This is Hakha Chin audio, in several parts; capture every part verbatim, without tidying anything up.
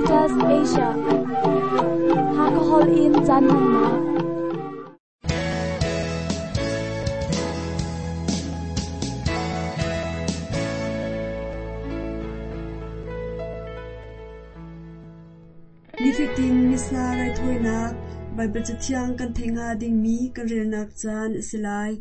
Adventist Asia. Hakahol in caan hmannak. Nifatin Missa raithawinak Baibal Cathiang kan theih hnga dingmi kan relnak caan a si lai.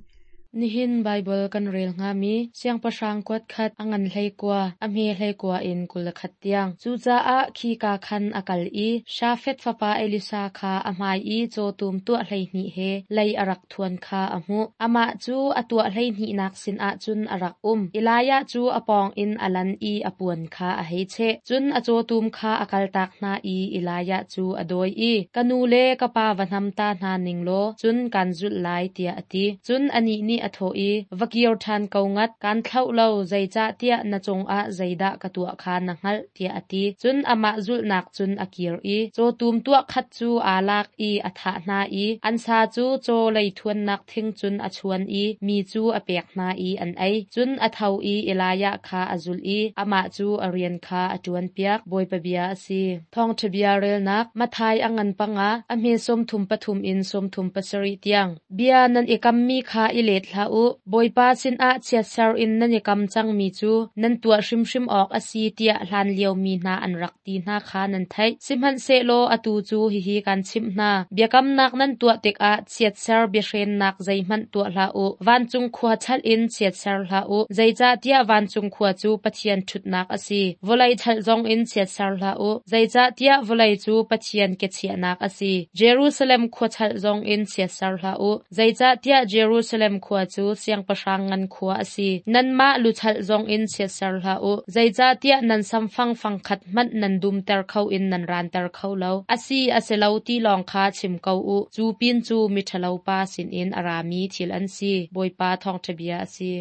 Nihin Baibal kan rel hngami siangpahrang kuat khat a ngan hlei kua, a hme hlei kua in kul le khat tiang. Cucaah khika khan a kal i Shafat fapa Elisha kha a hmai i cawtum tuah hleihnih he lei a rak thuan kha a hmuh. Amah cu a tuah hleihnihnak sinah cun a rak um. Elijah cu a pawng in a lan i a puan kha a hei cheh. Cun a cawtum kha a kaltak hna i Elijah cu a dawi i, ka nu le ka pa va hnam ta hna ning law, cun kan zulh lai tiah a ti. Cun anih nih a thawh i, va kir ṭhan ko ngat, kan thlauh lo, zeicah tiah na cungah zeidah ka tuah kha na hngalh, tiah a ti. Cun amah zulhnak cun a kir i, cawtum tuah khat cu aa lak i a thah hna i, an sa cu caw leithuannak thing cun a chuan i, mi cu a pek hna i an ei. Cun a tho i Elijah kha a zulh i, amah cu a rian kha a ṭuanpiak. Bawipa bia a si. Thawngṭha bia relnak Matthai a ngan panga, a hme sawmthum pathum in sawmthum pasarih tiang. Bia nan i kammi kha i let hlah u. Bawipa sinah chiatser in nan i kam cangmi cu nan tuah hrimhrim awk a si tiah hlan liomi hna an rak ti hna kha nan theih. Sihmanhsehlaw atu cu hihi kan chimh hna. Biakamnak nan tuah tikah chiatser biahrennak zeihmanh tuah hlah u. Vancung khua chalh in chiatser hlah u. Zeicahtiah vancung khua cu Pathian ṭhutnak a si. Vawlei chalh zong in chiatser hlah u. Zeicahtiah vawlei cu Pathian kechiahnak a si. Jerusalem khua chalh zong in chiatser hlah u. Zeicahtiah Jerusalem khua cu siangpahrang ngan khua a si. Nanmah luchalh zong in chiatser hlah u. Zeicahtiah nan samfang fangkhat hmanh nan dumter kho in nan ranter kho lo. A si a si lo ti lawng kha chim ko u. Cu pin cu miṭhalo pa sinin a rami thil an si. Bawipa thawngṭha bia a si.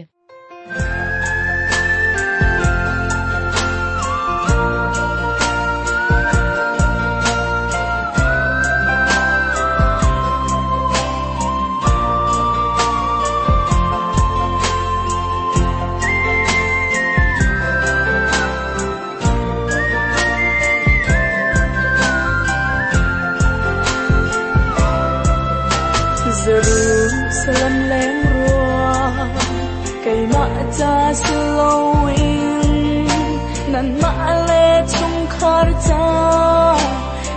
Jerusalem leng rua kay ma cha slowing nan ma le chung khar cha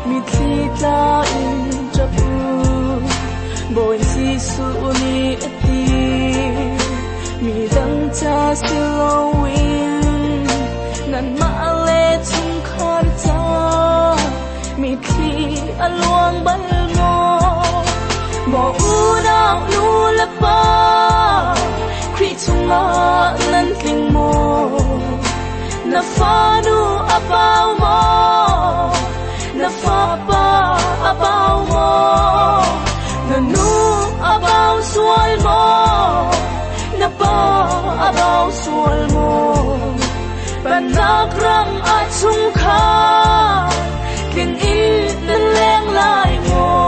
mi thli tla in chapu boy si su ni ati mi dang cha slowing nan ma le chung khar cha mi thli aluang bal mo mo unau nu le pa Khrih chungah nan tling maw na fanu a pau maw na fapa a pau maw na nu a pau sual maw na pa a pau sual maw Panak ram a chungkhar tling in nan leng lai maw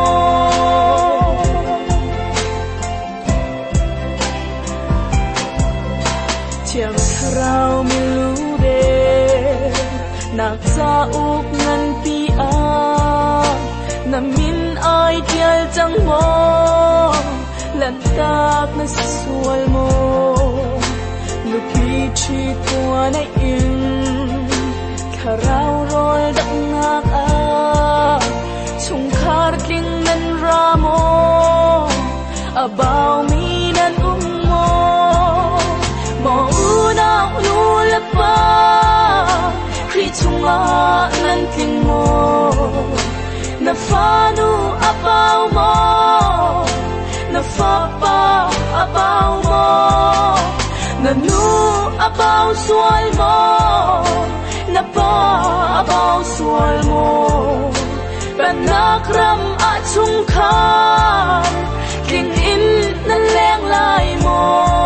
Thiang thlarau mi lu ve nak cha uk ngan pi a na min ai tial chang mo lan tak na sual mo nu pi chi tua na in thlarau rol dak nak a chung khar tling nan ra mo about me nan um mo mo unau nu le pa Khrih chungah nan tling maw na fanu a pau maw na fapa a pau maw na nu a pau sual maw na pa a pau sual maw Panak ram a chungkhar tling in nan leng lai maw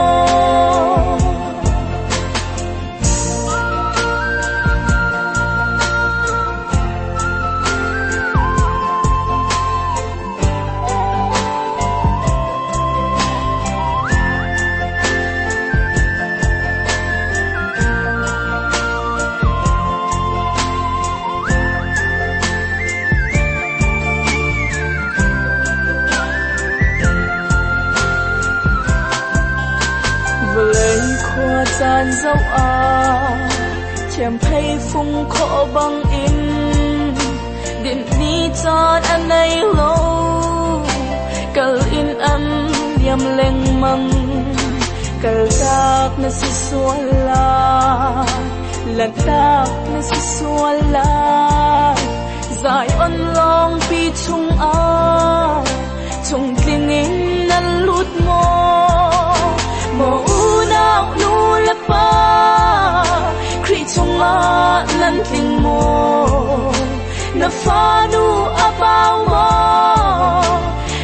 Van zo a thiam phei phung kho bang in din ni chan an nei lo kal in an yam leng mang kal tak na si suala lan tak na si suala zai on long pi chung a chung tling in nan lut mo mo u nau nu le pa kri chung a nan tling mo na fa nu a bao mo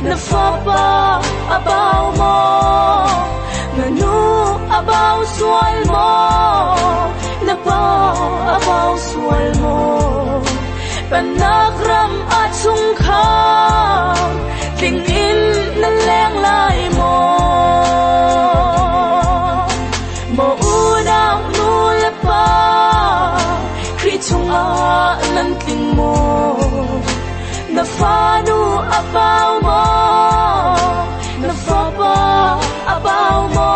na fa pa a bao mo na nu a bao sual mo na pa a bao sual mo panakram a chung kha tling in na leng lai mo mo u nau nu le pa kri chung a nan tling mo na fa nu a bao mo na fa pa a bao mo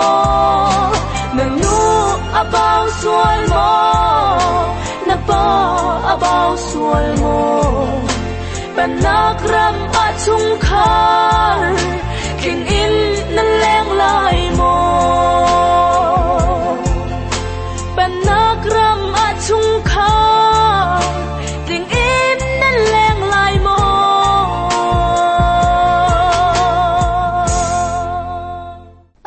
na nu a bao sual mo na pa a bao sual mo panakram a chung khar tling in na leng lai mo panakram a chung khar tling in na leng lai mo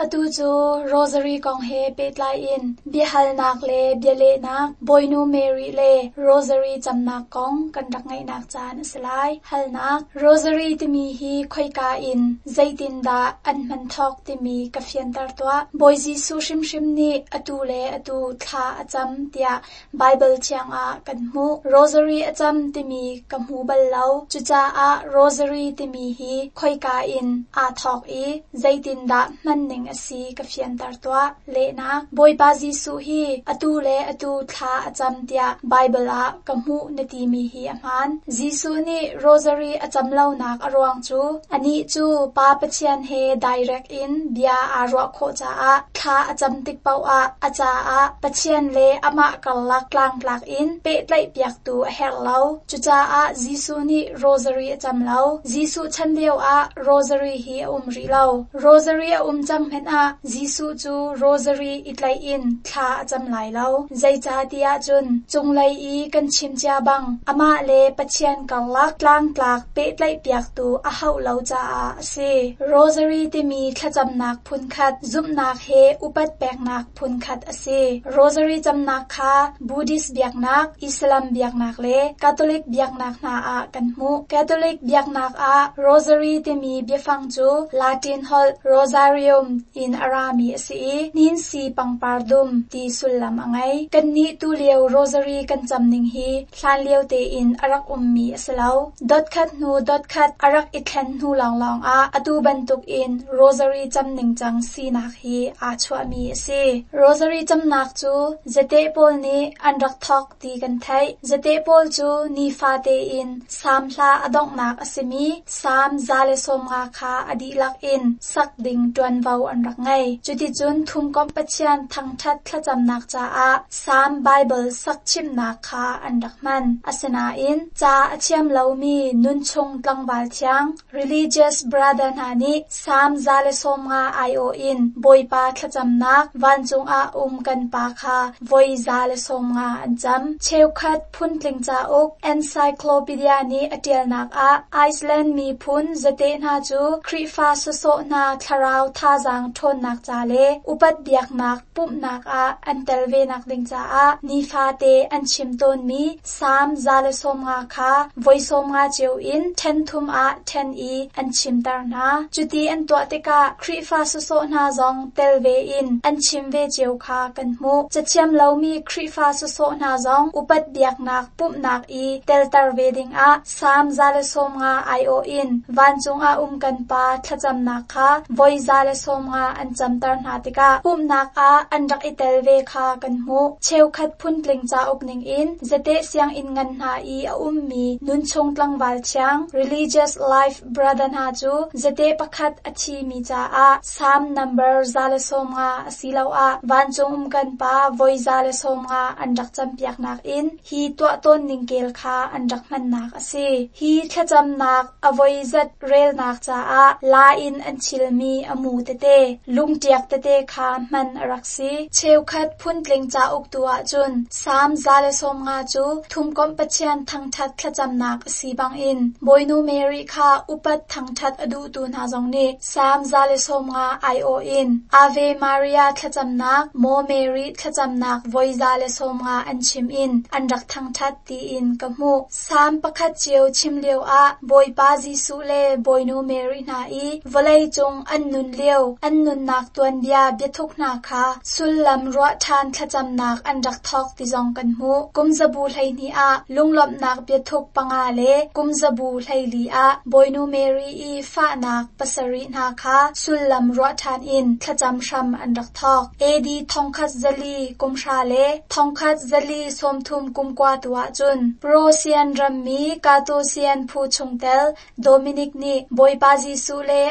Atu cu Rosary kong he pehtlai in biahalnak le bialehnak Boinu Mary le Rosary camnak kong kan rak ngaihnak caan a si lai. Halnak Rosary timi hi khoika in zeitindah an hman thawk timi ka fianter tuah. Bawi Jesuh hrimhrim nih atu le atu thla a cam tiah Bible thiang ah kan hmuh. Rosary a cam timi ka hmu bal lo. Cucaah Rosary timi hi khoika in aa thawk i zeitindah hman ning a si ka fianter tuah. Lehnak Bawipa Jesuh hi atu le atu thla a cam tiah Bible ah ka hmuh na timi hi a hmaan. Jesuh nih Rosary a cam lonak a ruang cu anih cu Pa Pathian he direct in bia aa ruah khawh caah thla a cam tik paoh ah a caah Pathian le amah karlak tlangtlak in pehtlaih piaktu a herh lo. Cucaah Jesuh nih Rosary a cam lo. Jesuh chan lio ah Rosary hi a um rih lo. Rosary a um cang hmanh ah Jesuh cu Rosary i tlaih in thla a cam lai lo. Zeicahtiah cun cunglei i kan chim cia bang amah le Pathian karlak tlangtlak pehtlaih piaktu a hauh lo caah a si. Rosary timi thlacamnak phunkhat zumhnak he upat peknak phunkhat a si. Rosary camnak kha Buddhist biaknak, Islam biaknak le Catholic biaknak hna ah kan hmuh. Catholic biaknak ah Rosary timi biafang cu Latin holh Rosarium in a rami a si i ninsi pangpar dum ti sullam a ngei. Kannih tu lio Rosary kan cam ning hi hlan lio tein a rak ummi a si lo. Dot khat hnu dot khat a rak i thlen hnu lawnglawng ah atu bantuk in Rosary cam ning cang sinak hi aa chuahmi a si. Rosary camnak cu zate pawl nih an rak thawk ti kan theih. Zate pawl cu nifa tein Salm hla a donghnak a simi Salm za le sawm nga kha a dihlak in sak ding ṭuanvo an rak ngei. Cuticun thumkomh Pathian thangṭhat thlacamnak caah Salm Bible sak chimnak kha an rak hman. Asinain ca a thiam lomi nunchung tlangval thiang religious brother hna nih Salm za le sawm nga aiawh in Bawipa thlacamnak vancung ah um kan pa kha voi za le sawm nga an cam. Cheukhat phuntling cauk Encyclopedia nih a ṭialnak ah Iceland miphun zate hna cu Khrihfa sawsawh hna thlarau thazaang ṭhawnnak ca le upat biaknak pumhnak ah an tel venak ding caah nifate an chim tawnmi Salm za le sawm nga kha voi sawm nga cio in ṭhen thum ah ṭhen i an chimter hna. Cuti an tuah tikah Khrihfa sawsawh hna zong tel ve in an chim ve cio kha kan hmuh. Cathiam lomi Khrihfa sawsawh hna zong upat biaknak pumhnak i telter ve dingah Salm za le sawm nga aiawh in vancung ah um kan pa thlacamnak kha voi za le sawm nga an camter hna tikah pumhnak ah an rak i tel ve kha kan hmuh. Cheukhat phuntling cauk ningin zate sianginn ngan hna i a ummi nunchung tlangval thiang religious life brother hna cu zate pakhat a thimi caah Psalm number za le sawm nga asiloah vancung um kan pa voi za le sawm nga an rak campiaknak in hi tuah tawn ning kel kha an rak hmannak a si. Hi thlacamnak a voi zat relnak caah la in an chilmi a mu tete, lungṭiak tete kha hman a rak si. Cheukhat phuntling cauk tu ahcun Psalm za le sawm nga cu thumkomh Pathian thangṭhat thlacamnak a si bangin Bawinu Mary kha upat thangṭhat a duhtu hna zong nih Psalm za le sawm nga aiawh in Ave Maria thlacamnak, Maw Mary thlacamnak voi za le sawm nga an chim in an rak thangṭhat tiin ka hmuh. Psalm pakhat cio chim lio ah Bawipa Jesuh le Bawinu Mary hna i vawlei cung an nun lio, an nunnak tuanbia biathuk hna kha sullam ruah ṭhan thlacamnak an rak thawk ti zong kan hmuh. Kum zabu hleihnih ah lunglawmhnak biathuk panga le kum zabu hleili ah Bawinu Mary i fahnak pasarih hna kha sullam ruah ṭhan in thlacam hram an rak thawk. AD thongkhat zali kumhra le thongkhat zali sawmthum kumkua tu ahcun Prosian rammi Katosian phu chungtel Dominic nih Bawipa Jesuh le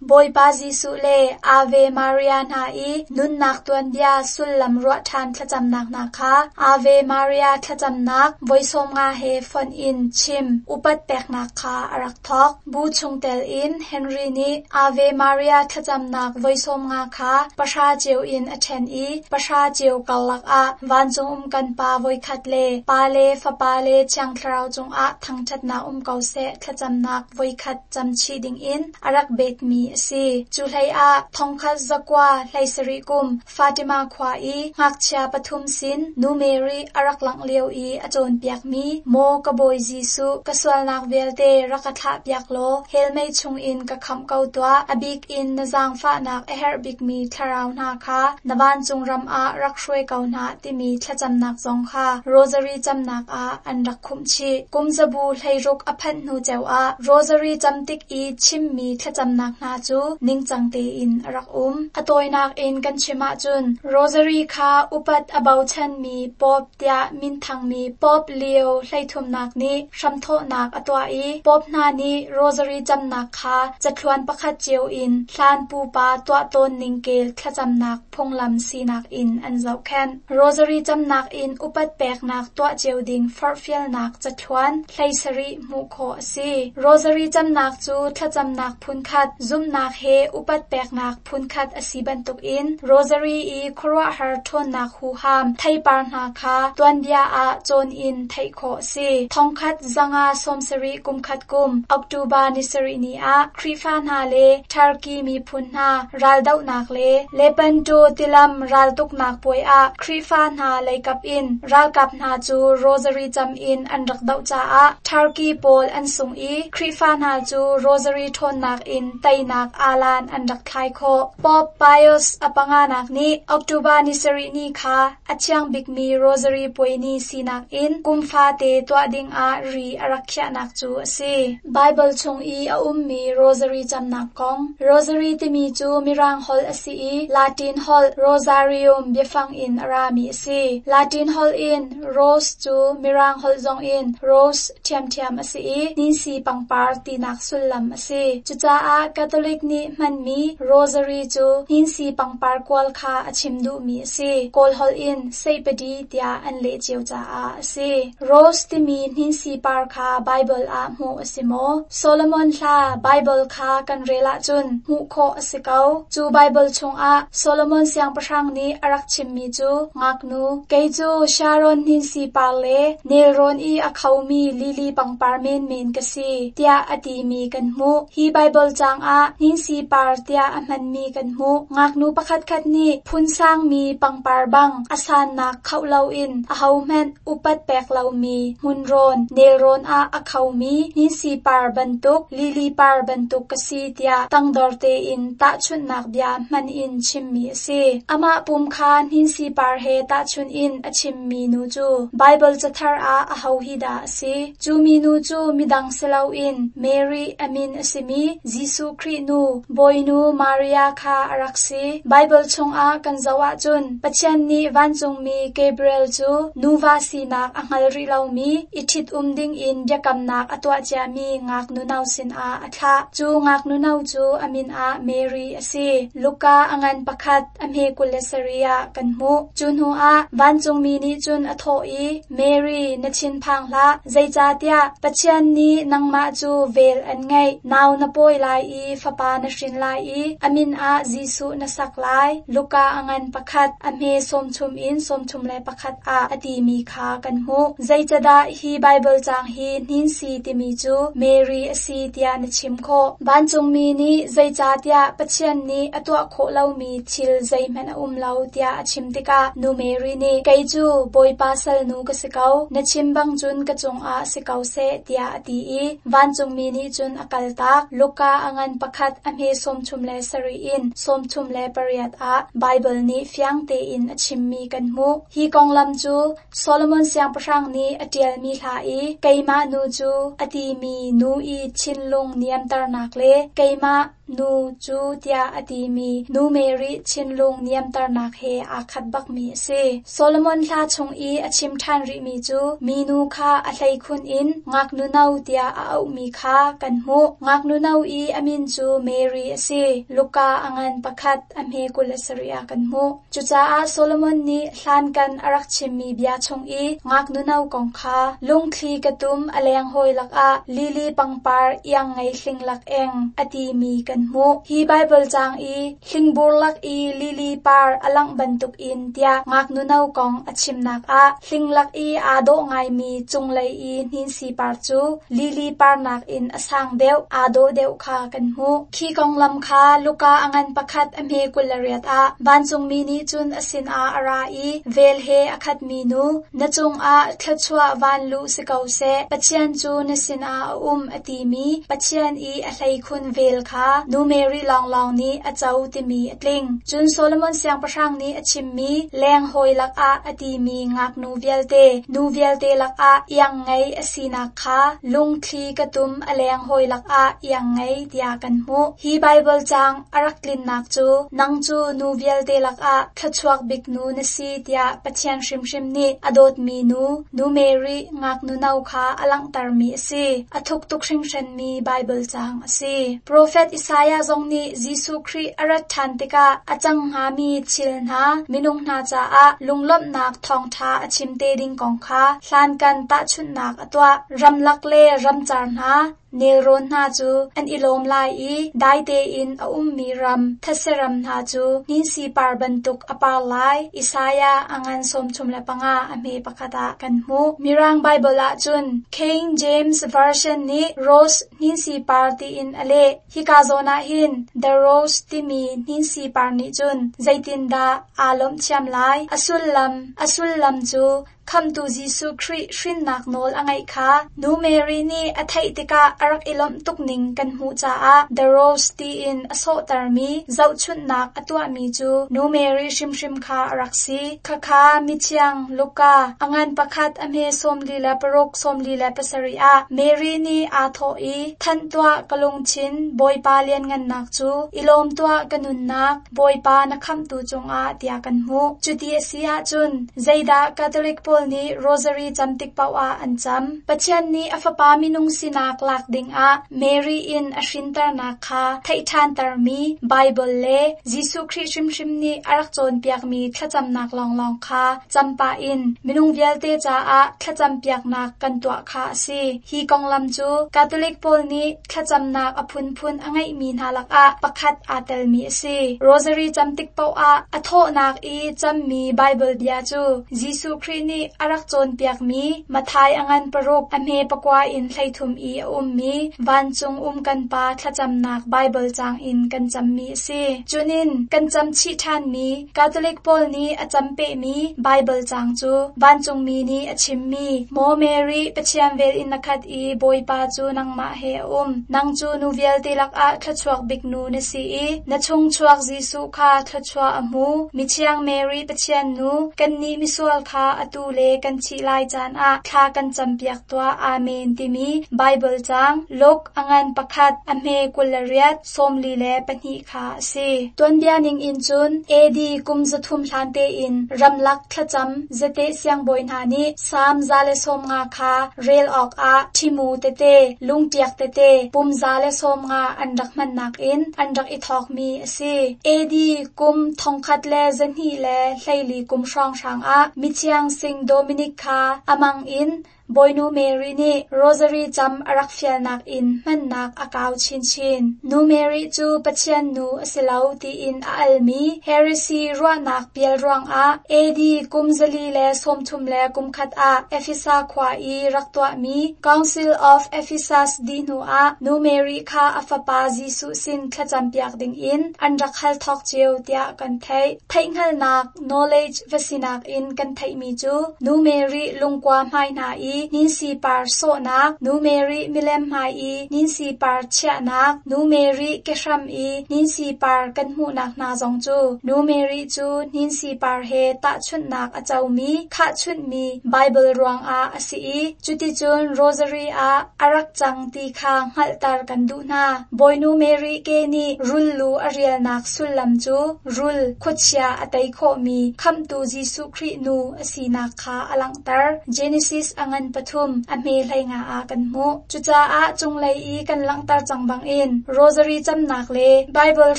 Bawipa Jesuh le Ave Maria hna i nunnak tuanbia sullam ruah ṭhan thlacamnak hna kha Ave Maria thlacamnak voi sawm nga he fonh in chim upat peknak kha a rak thawk. Bu chungtel in Henry nih Ave Maria thlacamnak voi sawm nga kha pahra cio in a ṭhen i pahra cio karlak ah vancung um kan Pa voikhat le Pa le Fapa le Thiang Thlarau cungah thangṭhatnak um ko seh thlacamnak voikhat camchih dingin a rak betmi a si. Cu hleiah thongkhat zakua hleisarih kum Fatima khua i ngakchia pathum sin Nu Mary a rak langh lio i a cawnpiakmi Maw ka Bawi Jesuh ka sualnak vialte rak ka thlahpiak law hell mei chungin ka khamh ko tuah, a bik in na zaangfahnak a herh bikmi thlarau hna kha na vancung ram ah rak hruai ko hna timi thlacamnak zong kha Rosary camnak ah an rak khumh chih. Kum zabu hleiruk a phanh hnu ceu ah Rosary cam tik i chimmi thlacamnak hna cu ningcang tein a rak um. A tawinak in kan chim ahcun Rosary kha upat a bochanmi Pope tiah minthangmi Pope Leo hleithumnak nih hramthawhnak a tuah i Pope hna nih Rosary camnak kha cathluan pakhat cio in hlan pupa tuah tawn ning kel thlacamnak phunglam sinak in an zohkhenh. Rosary camnak in upat peknak tuah cio ding forhfialnak cathluan hleisarih hmuh khawh a si. Rosary camnak cu thlacamnak phunkhat, zumhnak he upat peknak phunkhat a si bantukin Rosary i khuaruahhar ṭhawnnak huham theipar hna kha tuanbia ah cawn in theih khawh a si. Thongkhat zanga sawmsarih kumkhat kum October ni sarih ni ah Khrihfa hna le Turkey miphun hna raldohnak le Lepanto tilam raltuknak puai ah Khrihfa hna leikap in ralkap hna cu Rosary cam in an rak doh caah Turkey pawl an sung i Khrihfa hna cu Rosary ṭhawnnak in teinak alan an rak thlai khawh. Pope Pius a panganak nih October ni sarih ni kha a thiang bikmi Rosary puai ni sinak in kum fate tuah dingah ri a rak khiahnak cu a si. Bible chung i a ummi Rosary camnak kong. Rosary timi cu Mirang holh a si i Latin holh Rosarium biafang in a rami a si. Latin holh in rose cu Mirang holh zong in rose ṭhiamṭhiam a si i ninsi pangpar tinak sullam a si. Cucaah Catholic nih hmanmi Rosary cu ninsi pangpar kual kha a chim duhmi a si. Kawl holh in seipadi tiah an leh cio caah a si. Rose timi ninsi par kha Bible ah hmuh a si maw? Solomon hla Bible kha kan rel ahcun hmuh khawh a si ko. Cu Bible chungah Solomon siangpahrang nih a rak chimmi cu ngaknu, kei cu Sharon ninsi par le nelrawn i a khomi lily pangpar menmen ka si, tiah a timi kan hmuh. Hi Bible caang ah ninsi par tiah a hmanmi kan hmuh. Ngaknu pakhatkhat nih phunsangmi pangpar bang a sannak khoh loin ahohmanh upat pek lomi hmunrawn, nelrawn ah a khomi ninsi par bantuk, lily par bantuk ka si tiah tangdor tein tahchunhnak bia hman in chimmi a si. Amah pum kha ninsi par he tahchunh in a chimmi nu cu Bible cathar ah aho hi dah a si? Cu minu cu midang si loin Mary a min a simi Jesuh Khrih nu, Bawinu Maria kha a rak si. si. Baibal chungah kan zoh ahcun Pathian nih vancungmi Gabriel cu nuva sinak a hngal rih lomi i ṭhitum dingin biakamnak a tuah ciami ngaknu no sinah a thlah. Cu ngaknu no cu a min ah Mary a si. Luka a ngan pakhat a hme kul le sarih ah kan hmuh. Cu hnuah vancungmi nih cun a thawh i, Mary, na thinphang hlah, zeicahtiah Pathian nih nangmah cu vel an ngeih. Nau na pawi lai i fapa na hrin lai i a min ah Jesuh na sak lai. Luka a ngan pakhat a hme sawmthum in sawmthum le pakhat ah a timi kha kan hmuh. Zeicadah hi Baibal caang hi hninsi timi cu Mary a si tiah na chim khawh? Vancungmi nih zeicahtiah Pathian nih a tuah khawh lomi thil zeihmanh a um lo tiah a chim tikah nu Mary nih kei cu Bawipa salnu ka si ko, na chim bang cun ka cungah si ko seh tiah a ti i vancungmi nih cun a kaltak. Luka a ngan pakhat a hme sawmthum le sarih in sawmthum le pariat ah Baibal nih fiang tein a chimmi kan hmuh. Hi konglam cu Solomon siangpahrang nih a ṭialmi hla i keimah nu cu a timi nu i thinlung niamternak le keimah nu cu tiah a timi nu Mary thinlung niamternak he aa khat bakmi a si. Solomon hla chung i a chim ṭhan rihmi cu minu kha a hleikhun in ngaknu no tiah a auhmi kha kan hmuh. Ngaknu no i a min cu Mary a si. Luka a ngan pakhat a hme kul le sarih ah kan hmuh. Cucaah Solomon nih hlankan a rak chimmi bia chung i ngaknu no kong kha lungthli ka tum a leng hawi lakah lili pangpar iang ngei hling lak eng a timi kan hmuh. Hi Baibal caang i hlingbur lak i lili par a langh bantukin tiah ngaknu no kong a chimnak ah hling lak i aa dawh ngaimi cunglei i hninsi par cu lili par nakin a sang deuh, aa dawh deuh kha kan hmuh. Khi konglam kha Luka a ngan pakhat a hme kul le riat ah vancungmi nih cun a sinah a ra i vel he a khatmi nu, na cungah thluachuah vanluh si ko seh, Pathian cu na sinah a um a timi Pathian i a hleikhun vel kha nu Mary lawnglawng nih a co timi a tling. Cun Solomon siangpahrang nih a chimmi leng hawi lakah a timi ngaknu vialte, nu vialte lakah iang ngei a sinak kha lungthli ka tum a leng hawi lakah iang ngei tiah kan hmuh. Hi Baibal caang a rak tlinnak cu nang cu nu vialte lakah thluachuak bik nu na si tiah Pathian hrimhrim nih a dawtmi nu, nu Mary ngaknu no kha a langhtermi a si. A thuk tuk hringhranmi Baibal caang a si. Profet Isaiah zong nih Jesuh Khrih a rat ṭhan tikah a cang hngami thil hna minung hna caah lunglawmhnak thawngṭha a chim te ding kong kha hlankan tahchunhnak a tuah. Ramlak le ramcar hna, nelrawn hna cu an i lawm lai i dai tein a ummi ram, thetse ram hna cu hninsi par bantuk a par lai. Isaiah a ngan sawmthum le panga a hme pakhat ah kan hmuh. Mirang Baibal ahcun King James Version nih Rose hninsi par tiin a leh. Hika zawn ah hin The Rose timi hninsi par nih cun zeitindah aa lawmh thiam lai? A sullam, a sullam cu Khamtu Jesuh Khrih hrinnak nawl a ngeih kha nu Mary nih a theih tikah a rak i lawmh tuk ning kan hmuh caah The Rose tiin a sawhtermi zohchunhnak a tuahmi cu nu Mary hrimhrim kha a rak si. Khakha mithiang Luka a ngan pakhat a hme sawmli le paruk sawmli le pasarih ah Mary nih aa thawh i thanh tuah ka lungthin Bawipa lianngannak cu i lawm tuah ka nunnak Bawipa na khamhtu cungah tiah kan hmuh. Cuti a si ahcun zeidah Catholic pawl nih Rosary cam tik paoh ah an cam? Pathian nih a fapa minung sinak lak dingah Mary in a hrinternak kha theih ṭhantermi Baibal le Jesuh Khrih hrimhrim nih a rak cawnpiakmi thlacamnak lawnglawng kha cam pah in minung vialte caah thlacampiaknak kan tuah kha a si. Hi konglam cu Catholic pawl nih thlacamnak a phunphun a ngeihmi hna lakah pakhat aa telmi a si. Rosary cam tik paoh ah a thawhnak i cammi Baibal bia cu Jesuh Khrih nih a rak cawnpiakmi Matthai a ngan paruk a hme pakua in hleithum i a ummi vancung um kan Pa thlacamnak Baibal caang in kan cammi a si. Cunin kan cam chih ṭhanmi Catholic pawl nih a cam pehmi Baibal caang cu vancungmi nih a chimmi Maw Mary, Pathian vel in na khat i Bawipa cu nangmah he a um. Nang cu nu vialte lakah thluachuak bik nu na si i na chungchuak Jesuh kha thluachuah a hmu. Mithiang Mary Pathian nu, kannih misual kha atu le kan thih lai caan ah thla kan campiak tuah. Amen timi Bible caang Luke a ngan pakhat a hme kul le riat sawmli le pahnih kha a si. Tuanbia ning in cun A D kum zathum hlan tein ramlak thlacam zate siangbawi hna nih Salm za le sawm nga kha rel awk ah ṭhimu tete lungṭiak tete pum za le sawm nga an rak hmannak in an rak i thawkmi a si. A D kum thongkhat le zahnih le hleili kum hrawnghrang ah mithiang Sing Dominic kha amang in Bawinu Mary nih Rosary cam a rak fialnak in hmannak a kau chinchin. Nu Mary cu Pathian nu a si lo tiin a almi heresy ruahnak pial ruangah A D kum zali le sawmthum le kum khat ah Efesa khua i rak tuahmi Council of Ephesus dih hnuah Nu Mary kha a fapa Jesuh sin thlacampiak dingin an rak hal thawk cio tiah kan theih. Theihhngalhnak knowledge va sinak in kan theihmi cu Nu Mary lungkua hmai hna i ninsi par sawhnak, Nu Mary milem hmai i ninsi par chiahnak, Nu Mary kehram i ninsi par kan hmuhnak hna zong cu Nu Mary cu ninsi par he tahchunhnak a comi, khahchunhmi Bible ruangah a si i cuticun Rosary ah a rak cang ti kha hngalhter kan duh hna. Bawinu Mary ke nih rul lu a rialnak sullam cu rul khuachia a tei khawhmi khamhtu Jesuh Khrih nu a sinak kha a langhter. Genesis a ngan pathum a hme hlei nga ah kan hmuh. Cucaah cunglei i kan langhter cang bangin Rosary camnak le Bible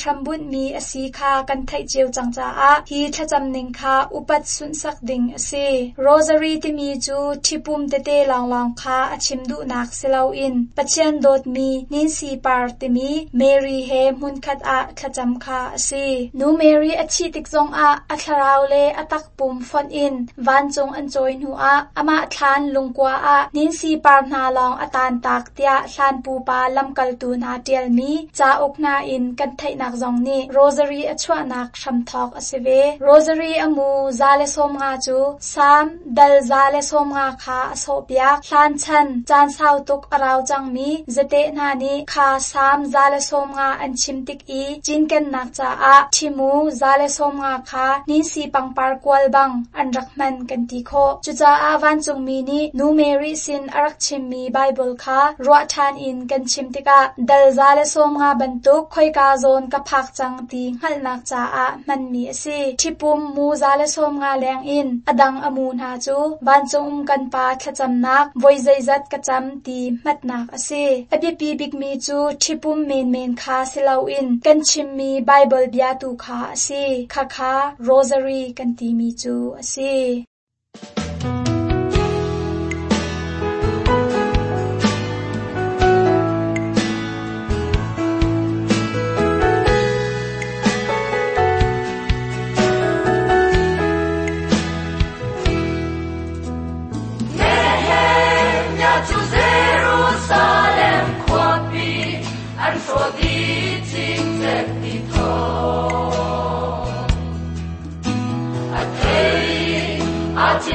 hrambunhmi a si kha kan theih cio cang caah hi thlacam ning kha upat sunhsak ding a si. Rosary timi cu ṭhipum tete lawnglawng kha a chim duhnak si loin Pathian dawtmi ninsi par timi Mary he hmunkhat ah thlacam kha a si. Nu Mary a thih tik zongah a thlarau le a takpum fonh in vancung an cawi hnuah amah thlan lungkua ah ninsi par hna lawng a tantak tiah hlan pupa lamkaltu hna ṭialmi cauk hna in kan theihnak zong nih Rosary a chuahnak hramthawk a si ve. Rosary a mu za le sawm nga cu Salm dal za le sawm nga kha a sawhpiak. Hlan chan caan sau tuk a rau cangmi zate hna nih kha Salm za le sawm nga an chim tik i cinkennak caah ṭhimu za le sawm nga kha ninsi pangpar kual bang an rak hman kan ti khawh. Cucaah vancungmi nih Nu Mary sin a rak chimmi Bible kha ruah ṭhan in kan chim tikah dal za le sawm nga bantuk khoika zawn ka phak cang ti hngalhnak caah hmanmi a si. Ṭhipum mu za le sawm nga leng in a dang a mu hna cu vancung um kan pa thlacamnak voi zeizat ka cam ti hmatnak a si. A biapi bikmi cu ṭhipum menmen kha si loin kan chimmi Bible bia tu kha a si. Khakha Rosary kan timi cu a si. At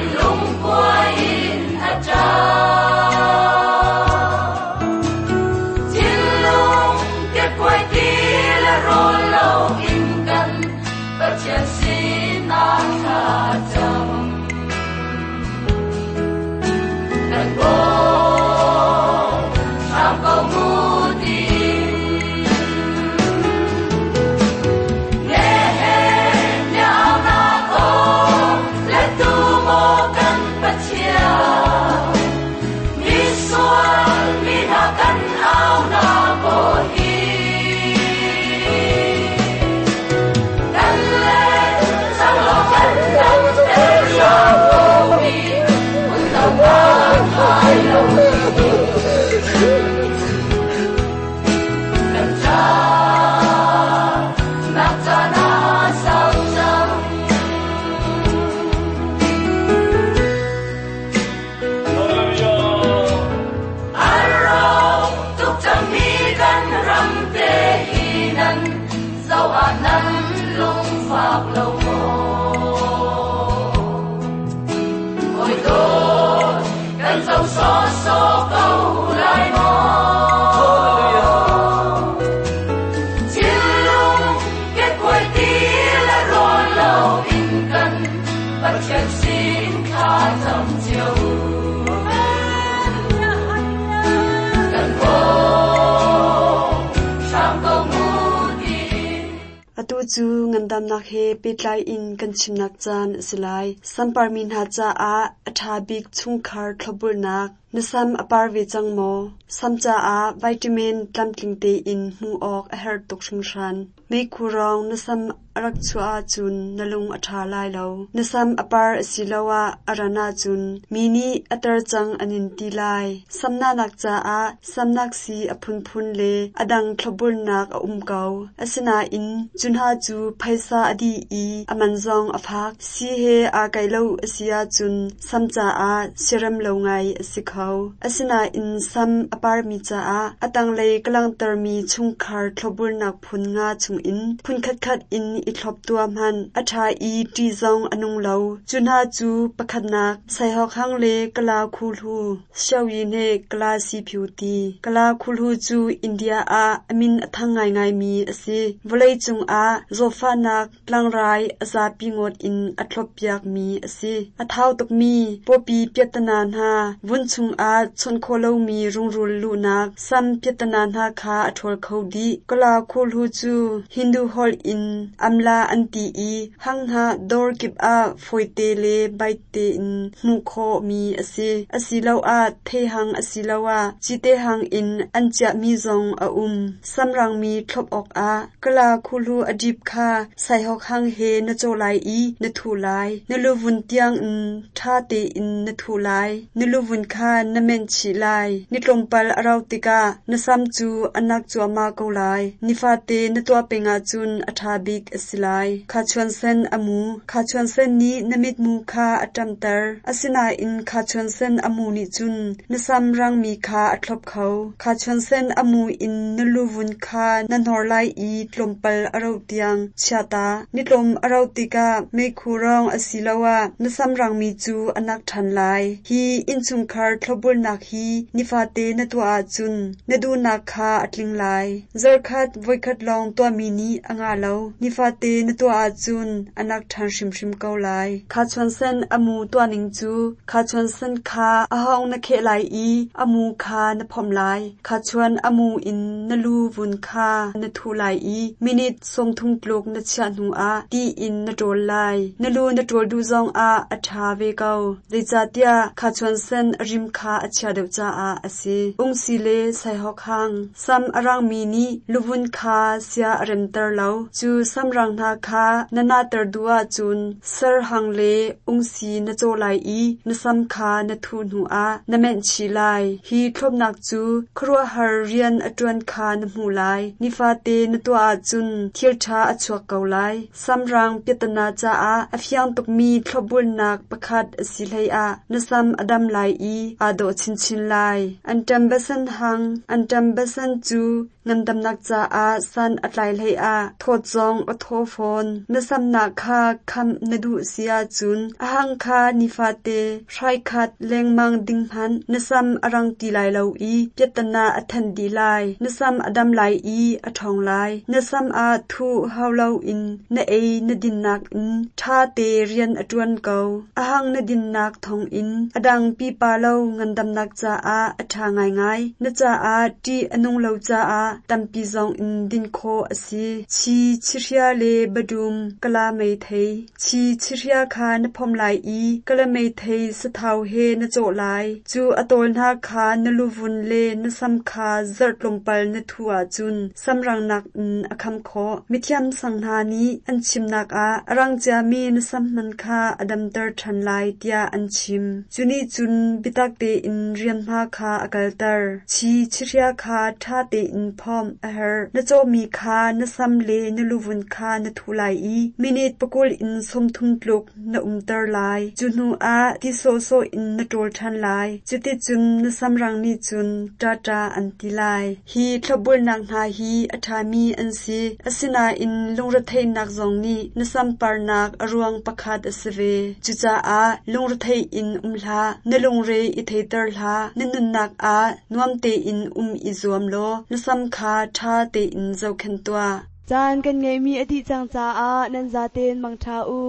cu ngandamnak he pehtlai in kan chimnak caan a si lai. Samparmi hna caah a ṭha bik chungkhar thlopbulnak. Na sam a par ve cang maw? Sam caah vitamin tlamtling tein hmuh awk a herh tuk hringhran. Meikhu rong na sam a rak chuah ahcun na lung a ṭha lai lo. Na sam a par asiloah a ran ahcun mi nih a tar cang an in ti lai. Samnahnak caah samnak sii a phunphun le a dang thlopbulnak a um ko. Asinain cu hna cu phaisa a dih i a man zong a fak. Sii he aa kaih lo a si ahcun sam caah siarem lo ngai a si kho. Asinain sam a parmi caah a tanglei ka langhtermi chungkhar thlopbulnak phun nga chungin phun khatkhat in i thlop tuah hmanh. A ṭha i ṭih zong a nung lo. Cu hna cu pakhatnak Saihawk hang le Kala khuhlu, Xiaoyi Kala siphiu ti. Kala khuhlu cu India ah a min a thang ngaingaimi a si. Vawleicung ah zawtfahnak tlangrai a zapi ngawt in a thloppiakmi a si. A thau tukmi pawpi piahtana hna, vun chungah chawnh khawh lomi rungrul luhnak, sam piahtana hna kha a ṭhawl kho dih. Kala khuhlu cu Hindu holh in amla an ti i hanghnah dawr kip ah fawite le baite in hmuh khawhmi a si. Asiloah theihang asiloah cite hang in an chiahmi zong a um. Samrangmi thlop awkah kala khuhlu a dip kha saihawk hang he na cawh lai i na thuh lai. Na luvun tiangin ṭha tein na thuh lai. Na luvun kha na menh chih lai. Ni tlawmpal a rauh tikah na sam cu a nak cuahmah ko lai. Nifate na tuah peng ahcun a ṭha bik a si lai. Khachuan sen a mu. Khachuan sen nih na mitmu kha a ṭamter. Asinain khachuan sen a mu nih cun na sam rangmi kha a thlop kho. Khachuan sen a mu in na luvun kha na hnor lai i tlawmpal a rauh tiang chia ta. Ni tlawm a rauh tikah meikhu rong asiloah na sam rangmi cu a nak ṭhan lai. Hi innchungkhar thlopbulnak hi nifate na tuah ahcun na duhnak kha a tling lai. Zarkhat voikhat lawng tuahmi nih a ngah lo. Nifate na tuah ahcun a nak ṭhan hrimhrim ko lai. Khachuan sen a mu tuahning cu khachuan sen kha a hawng na kheh lai i a mu kha na phomh lai. Khachuan a mu in na lu vun kha na thuh lai i minute sawmthum tluk na chiah hnuah ti in na ṭawl lai. Na lu na ṭawl duh zongah a ṭha ve ko. Zeicahtiah khachuan sen a rim kha a chia deuh caah a si. Ungsi le saihawk hang. Sam a rangmi nih luvun kha sia a remter lo. Cu samrang hna kha na nahter duh ahcun sar hang le ungsi na cawh lai i na sam kha na thuh hnuah na menh chih lai. Hi thlopnak cu khuaruahhar rian a ṭuan kha na hmuh lai. Nifate na tuah ahcun thil ṭha a chuak ko lai. Samrang piahtana caah a fiang tukmi thlopbulnak pakhat a si hleiah na sam a dam lai i aa dawh chinchin lai. Anṭam basan hang. Anṭam basan cu ngandamnak caah san a tlai hleiah thawt zong a thaw fawn. Na samnak kha khamh na duh si ahcun a hang kha nifate hrai khat lengmang ding hmanh. Na sam a rang ti lai lo i piahtana a then dih lai. Na sam a dam lai i a ṭhawng lai. Na sam ah thuh hau loin na ei na dinnak in ṭha te rian a ṭuan ko. A hang na dinnak thawngin a dang pipa lo ngandamnak caah a ṭha ngaingai. Na caah ṭih a nung lo caah tampi zong in din khawh a si. Chi chihria le badum kala meithei. Chi chihria kha na phomh lai i kala meithei sathau he na cawh lai. Cu a tawl hna kha na luvun le na sam kha zarh tlawmpal na thuh ahcun samrangnak in a kham khawh. Mithiam sang hna nih an chimnak ah a rang ciami na sam hman kha a damter ṭhan lai tiah an chim. Cu nih cun biatak tein rianhma kha a kalter. Chi chihria kha ṭha tein phomh a herh. Na cawhmi kha na sam le na luvun kha na thuh lai i minute pakul in sawmthum tluk na umter lai. Cu hnuah ti sawhsawh in na ṭawl ṭhan lai. Cuticun na samrang nih cun ṭaṭa an ti lai. Hi thlopbulnak hna hi a ṭhami an si. Asinain lungretheihnak zong nih na samparnak a ruang pakhat a si ve. Cucaah lungrethei in um hlah. Na lungre i theiter hlah. Na nunnak ah nuam tein um i zuam law na sam kha ṭha tein zohkhenh tuah. Caan kan ngeihmi a dih cang caah nan zaten mangṭha u.